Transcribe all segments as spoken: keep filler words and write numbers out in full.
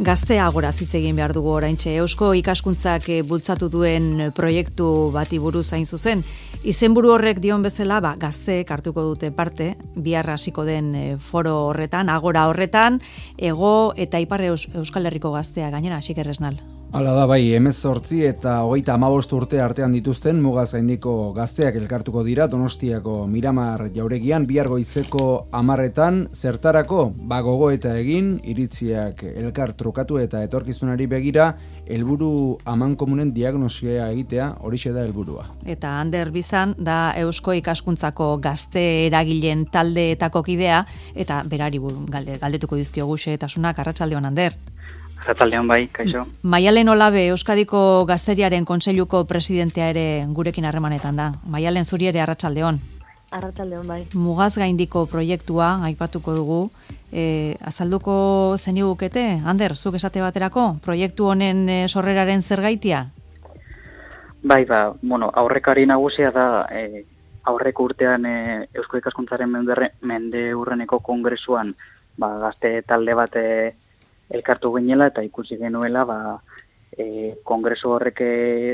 Gazte agora hitz egin behar dugu oraintxe. Eusko ikaskuntzak bultzatu duen proiektu bati buruz hain zuzen. Izenburu horrek dion bezala, ba, gazteek hartuko dute parte, bihar hasiko den foro horretan, agora horretan, ego eta ipar Euskal Herriko gaztea gainera, Xiker Esnal. Hala da bai, hemezortzi eta hogeita hamabost urte artean dituzten mugaz gaindiko gazteak elkartuko dira Donostiako Miramar jauregian bihar goizeko hamarretan zertarako ba gogoeta egin, iritziak elkar trukatu eta etorkizunari begira helburu amankomunen diagnosia egitea, horixe da helburua. Eta Ander Bizan da Eusko ikaskuntzako gazte eragileen taldeetako kidea eta berari galde, galdetuko dizkiogu xehetasunak. Arratsaldeon, Ander. Arratsaldeon bai, kaixo. Maialen Olabe Euskadiko Gazteriaren Kontseiluko presidentea ere gurekin harremanetan da. Maialen, zuri ere arratsaldeon. Arratsaldeon bai. Mugaz gaindiko proiektua aipatuko dugu. E, azalduko zenigukete, Ander, zuk esate baterako, proiektu honen e, sorreraren zergaitia? Bai, ba, bueno, aurrekari nagusia da e, aurreko urtean e, Eusko Ikaskuntzaren mende, mende urreneko kongresuan ba, gazte talde bat e, elkartu ginela eta ikusi genuela ba, e, kongresu horrek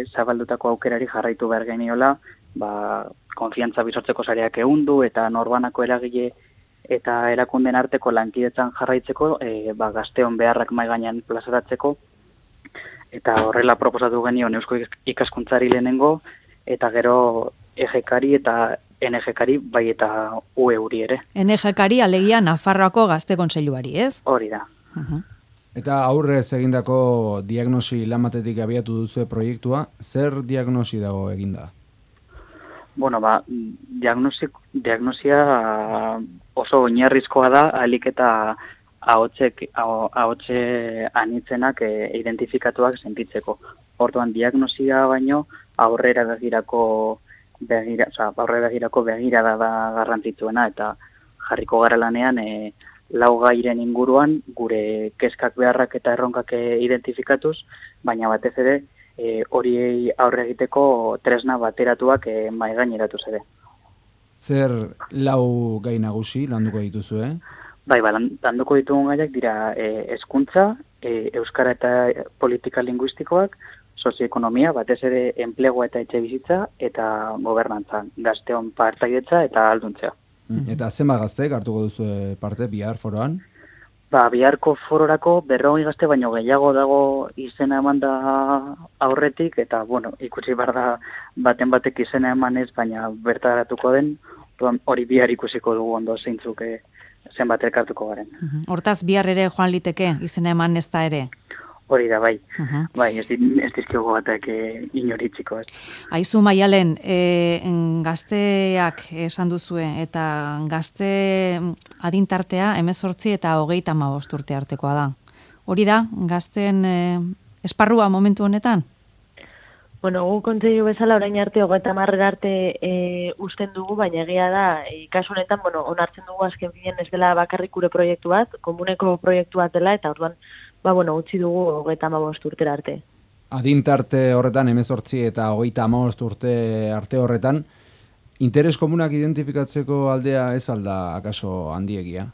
zabaldutako aukerari jarraitu behar geniola, ba, konfiantza bizortzeko sareak ehundu eta norbanako eragile eta erakunden arteko lankidetzan jarraitzeko, e, ba, gazteon beharrak mai gainean plazaratzeko, eta horrela proposatu genion Eusko Ikaskuntzari lehenengo, eta gero E G Kari eta N G Kari bai eta U E uri ere. N G Kari alegia Nafarroako Gazte Kontseiluari, ez? Hori da. Uh-huh. Eta aurrez egindako diagnosi lan batetik abiatu duzu proiektua, zer diagnosi dago eginda? Bueno, ba, diagnosi, diagnosia oso oinarrizkoa da, ahalik eta ahotsek, ahotse anitzenak e, identifikatuak sentitzeko. Orduan, diagnosia baino aurrera begirako begira, oza, aurrera begirako begirada da garrantzitsuena eta jarriko gara lanean e, lau gairen inguruan gure kezkak beharrak eta erronkak identifikatuz, baina batez ere e, horiei aurre egiteko tresna bateratuak e, mai gaineratuz ere. Zer lau gai nagusi landuko dituzu, eh? Bai, ba, landuko ditugun gaiak dira e, hezkuntza, e, euskara eta politika linguistikoak, sozioekonomia, batez ere enplegua eta etxebizitza eta gobernantza, gazteon partaidetza eta alduntzea. Eta zenbat gazteek hartuko duzu parte bihar foroan? Ba, biharko fororako berrogei gazte baino gehiago dago izena eman da aurretik, eta, bueno, ikusi behar da baten batek izena emanez, baina bertaratuko den, hori bihar ikusiko dugu ondo zeintzuk e, zenbat elkartuko garen. Hortaz bihar ere joan liteke izena eman ez da ere? Hori da, bai. Uh-huh. Bai, ez, ez dizkiogo batek e, inoritziko, ez. Aizu, Maialen, e, gazteak esan duzue, eta gazte adintartea hemezortzi eta hogeita hamabost urte artekoa da. Hori da, gazten e, esparrua momentu honetan? Bueno, gu kontseilu bezala orain arte hogeita hamarrera arte e, usten dugu, baina egia da, e, kasu honetan, bueno, onartzen dugu azken finean ez dela bakarrik gure proiektu bat, komuneko proiektu bat dela, eta orduan, ba, bueno, utzi dugu hogeita hamabost urtera arte. Adintarte horretan, hemezortzi eta hogeita hamabost urte arte horretan, interes komunak identifikatzeko aldea ez alda akaso handiegia?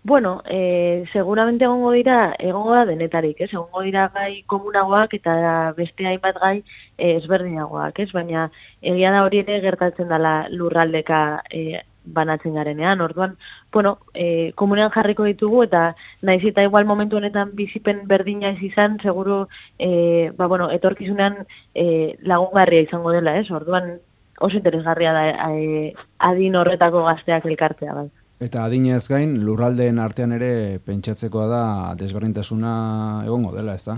Bueno, eh, seguramente egongo dira, egongo da denetarik, ez? Egongo dira gai komunagoak eta beste hainbat gai eh, ezberdinagoak, ez? Baina egia da hori ere gertatzen dela lurraldeka eh, banatzen garenean. Orduan, bueno, eh, komunean jarriko ditugu eta naiz eta igual momentu honetan bizipen berdina ez izan, seguru eh, ba, bueno, etorkizunean eh, lagungarria izango dela, ez? Orduan oso interesgarria da eh, adin horretako gazteak elkartzea, bai. Eta adinez gain, lurraldeen artean ere pentsatzekoa da desberdintasuna egongo dela, ez da?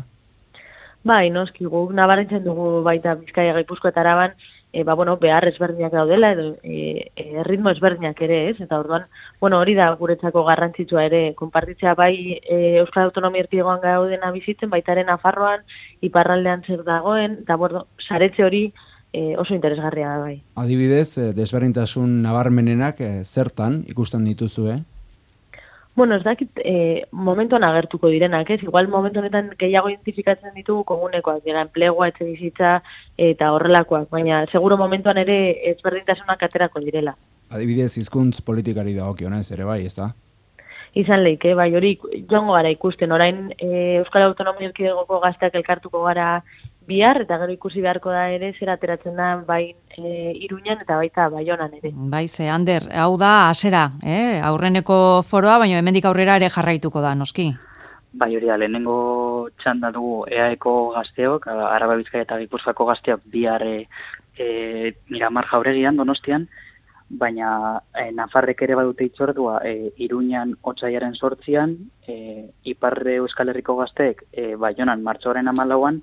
Bai, noski, guk nabaritzen dugu baita Bizkaia, Gipuzkoa eta Araban, e, ba, bueno, behar ezberdinak daudela, edo e, e, ritmo ezberdinak ere, ez? Eta orduan, bueno, hori da guretzako garrantzitsua ere, konpartitzea bai e, Euskal Autonomia Erkidegoan gaudena bizitzen, baitaren Nafarroan, iparraldean zer dagoen, eta bueno, saretze hori E, oso interesgarria da bai. Adibidez, desberdintasun nabarmenenak e, zertan ikusten dituzu, eh? Bueno, ez dakit e, momentuan agertuko direnak, ez? Igual momentu honetan gehiago identifikatzen ditugu komunekoak, dira enplegua, etxebizitza eta horrelakoak, baina seguro momentuan ere ezberdintasunak aterako direla. Adibidez, hizkuntz politikari dagokionez ere bai, ez da? izan leike, bai hori joango gara ikusten, orain e, Euskal Autonomia Erkidegoko gazteak elkartuko gara bihar, eta gero ikusi beharko da ere zer ateratzen da bai e, Iruñan eta baita Baionan ere. Bai, ze, Ander, hau da hasera, eh? Aurreneko foroa, baina hemendik aurrera ere jarraituko da, noski? Bai, hori da, lehenengo txanda dugu E A Eko gazteok, Araba Bizkaia eta Gipuzkoako gazteok bihar e, e, Miramar Jauregian, Donostian, baina e, Nafarrek ere badute itzordua e, Iruñan otsaiaren sortzian, e, Iparre Euskal Herriko gazteek e, Baionan martxoaren hamalauan,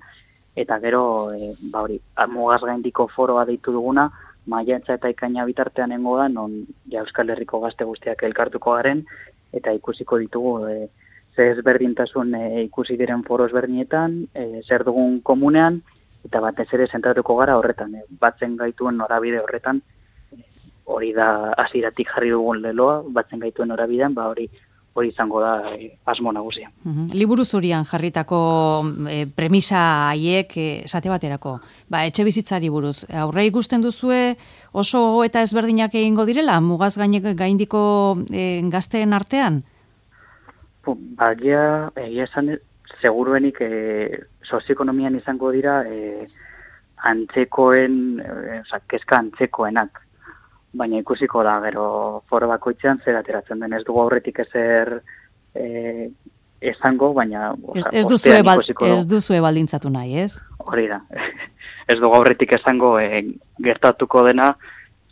eta gero, e, ba hori, mugaz gaindiko foroa deitu duguna, maiatza eta ekaina bitartean nengo da, non ja Euskal Herriko gazte guztiak elkartuko garen, eta ikusiko ditugu, e, ze ezberdintasun e, ikusi diren foro ezberdinetan, e, zer dugun komunean, eta batez ere zentratuko gara horretan, e, batzen gaituen norabide horretan, e, hori da hasieratik jarri dugun leloa, batzen gaituen norabidean, ba hori hori izango da e, asmo nagusia. Uhum. Liburu zurian jarritako e, premisa haiek esate baterako, ba, etxe bizitzari buruz, aurre ikusten duzue oso eta ezberdinak egingo direla, mugaz gainek gaindiko e, gazteen artean? Bagia, egia esan, seguruenik e, sozioekonomian izango dira e, antzekoen, e, oza, kezka antzekoenak. Baina ikusiko da, gero foro bakoitzean zer ateratzen den. Ez dugu aurretik ezer e, esango, baina oza, ez, duzue bal, ez duzue baldintzatu nahi, ez? Hori da. Ez dugu aurretik esango e, gertatuko dena,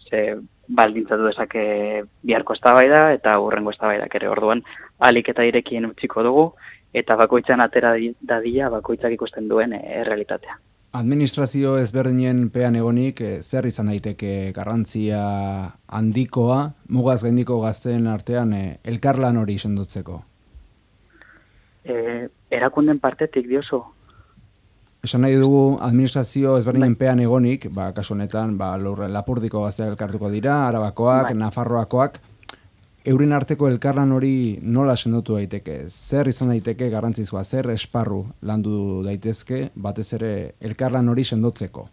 ze baldintzatu dezake biharko eztabaida eta hurrengo eztabaidak ere. Orduan, ahalik eta irekien utziko dugu, eta bakoitzan atera dadila bakoitzak ikusten duen e, errealitatea. Administrazio ezberdinen pean egonik, zer izan daiteke garrantzia handikoa, mugaz gaindiko gazteen artean e, elkarlan hori sendotzeko? E, erakunden partetik dioso. Esan nahi dugu administrazio ezberdinen pean egonik, ba, kasu honetan, ba, Lapurdiko gazteak elkartuko dira, Arabakoak, bai. Nafarroakoak, euren arteko elkarlan hori nola sendotu daiteke? Zer izan daiteke garrantzizkoa? Zer esparru landu daitezke batez ere elkarlan hori sendotzeko?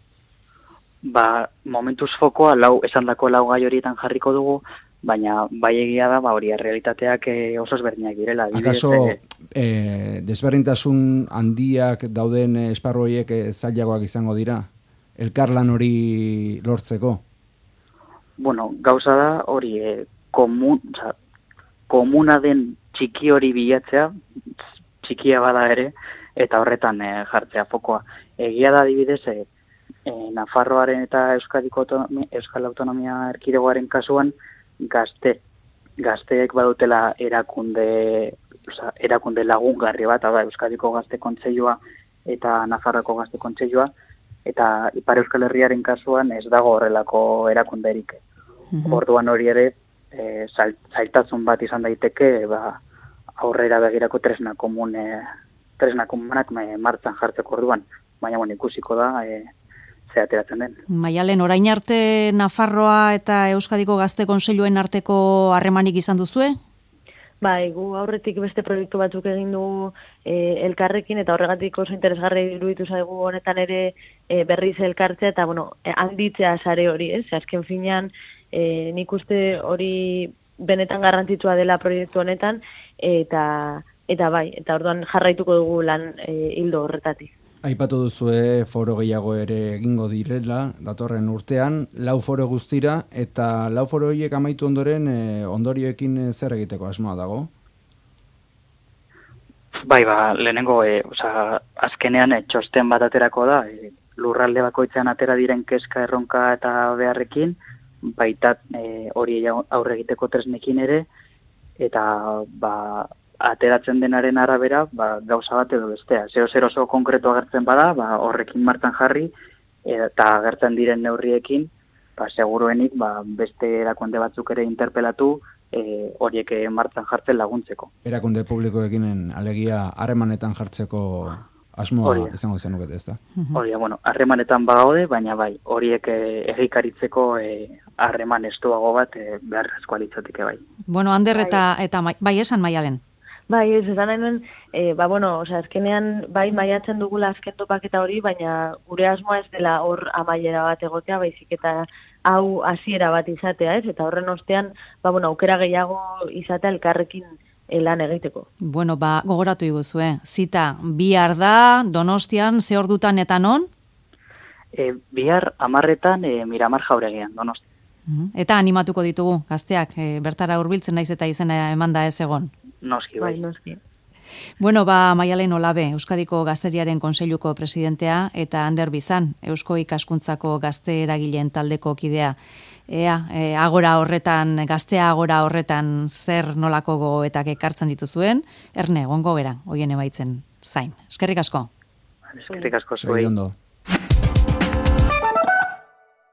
Ba, momentuz fokoa lau esandako lau gai horietan jarriko dugu, baina bai egia da, ba hori errealitateak oso ezberdinak direla. Akaso e, e, desberdintasun handiak dauden esparru horiek zailagoak izango dira? Elkarlan hori lortzeko? Bueno, gauza da hori e, Komun, oza, komuna den txiki hori bilatzea, txikia bada ere, eta horretan e, jartzea fokoa. Egia da adibidez, e, e, Nafarroaren eta Euskadiko autonomia, Euskal Autonomia Erkidegoaren kasuan, gazte, gazteek badutela erakunde, oza, erakunde lagungarri bat, da Euskadiko Gazte Kontseilua eta Nafarroko Gazte Kontseilua, eta Ipar Euskal Herriaren kasuan ez dago horrelako erakunderik. Mm-hmm. Orduan hori ere, E, zailtasun bat izan daiteke ba, aurrera begirako tresna komune, tresna komunak martzan jartzeko orduan, baina bueno, ikusiko da e, ze ateratzen den. Maialen, orain arte Nafarroa eta Euskadiko Gazte Kontseiluen arteko harremanik izan duzue? Bai, gu aurretik beste proiektu batzuk egin dugu e, elkarrekin, eta horregatik oso interesgarri iruditu zaigu honetan ere e, berriz elkartzea, eta bueno, e, handitzea sare hori, ez? Azken finean, E, nik uste hori benetan garrantzitsua dela proiektu honetan, eta eta bai, eta orduan jarraituko dugu lan e, hildo horretatik. Aipatu duzue foro gehiago ere egingo direla, datorren urtean, lau foro guztira, eta lau foro horiek amaitu ondoren, e, ondorioekin zer egiteko asmoa dago? Bai, ba, lehenengo, e, oza, azkenean e, txosten bat aterako da, e, lurralde bakoitzean atera diren kezka, erronka eta beharrekin, baita e, hori aurre egiteko tresnekin ere, eta ba, ateratzen denaren arabera ba, gauza bat edo bestea. Zeo zer oso konkretu agertzen bada, ba, horrekin martan jarri, eta agertzen diren neurriekin, ba, seguruenik ba, beste erakunde batzuk ere interpelatu, e, horiek martan jartzen laguntzeko. Erakunde publikoekin alegia harremanetan jartzeko asmoa izango zenuket, ez da? Hori, bueno, harremanetan bagaude, baina bai, horiek egikaritzeko harreman estuago bat e, beharrezkoa litzateke bai. Bueno, Ander eta, eta bai esan Maialen. Bai, ez esan nahi e, ba, bueno, oza, azkenean bai maiatzen dugula azken topaketa hori, baina gure asmoa ez dela hor amaiera bat egotea, baizik eta hau hasiera bat izatea, ez? Eta horren ostean, ba, bueno, aukera gehiago izatea elkarrekin lan egiteko. Bueno, ba, gogoratu iguzue, zita, bihar da, Donostian, ze ordutan eta non? E, bihar amarretan e, Miramar Jauregian, Donosti. Eta animatuko ditugu, gazteak, e, bertara hurbiltzen naiz eta izena emanda ez egon. Noski, bai. Bai, noski. Bueno, ba, Maialen Olabe, Euskadiko Gazteriaren Kontseiluko presidentea, eta Ander Bizan, Eusko Ikaskuntzako gazte eragileen taldeko kidea. Ea, e, agora horretan, gaztea agora horretan zer nolako gogoetak ekartzen dituzuen, erne, gongo gera, hoien ebaitzen zain. Eskerrik asko. Eskerrik asko Segi zuei. ondo.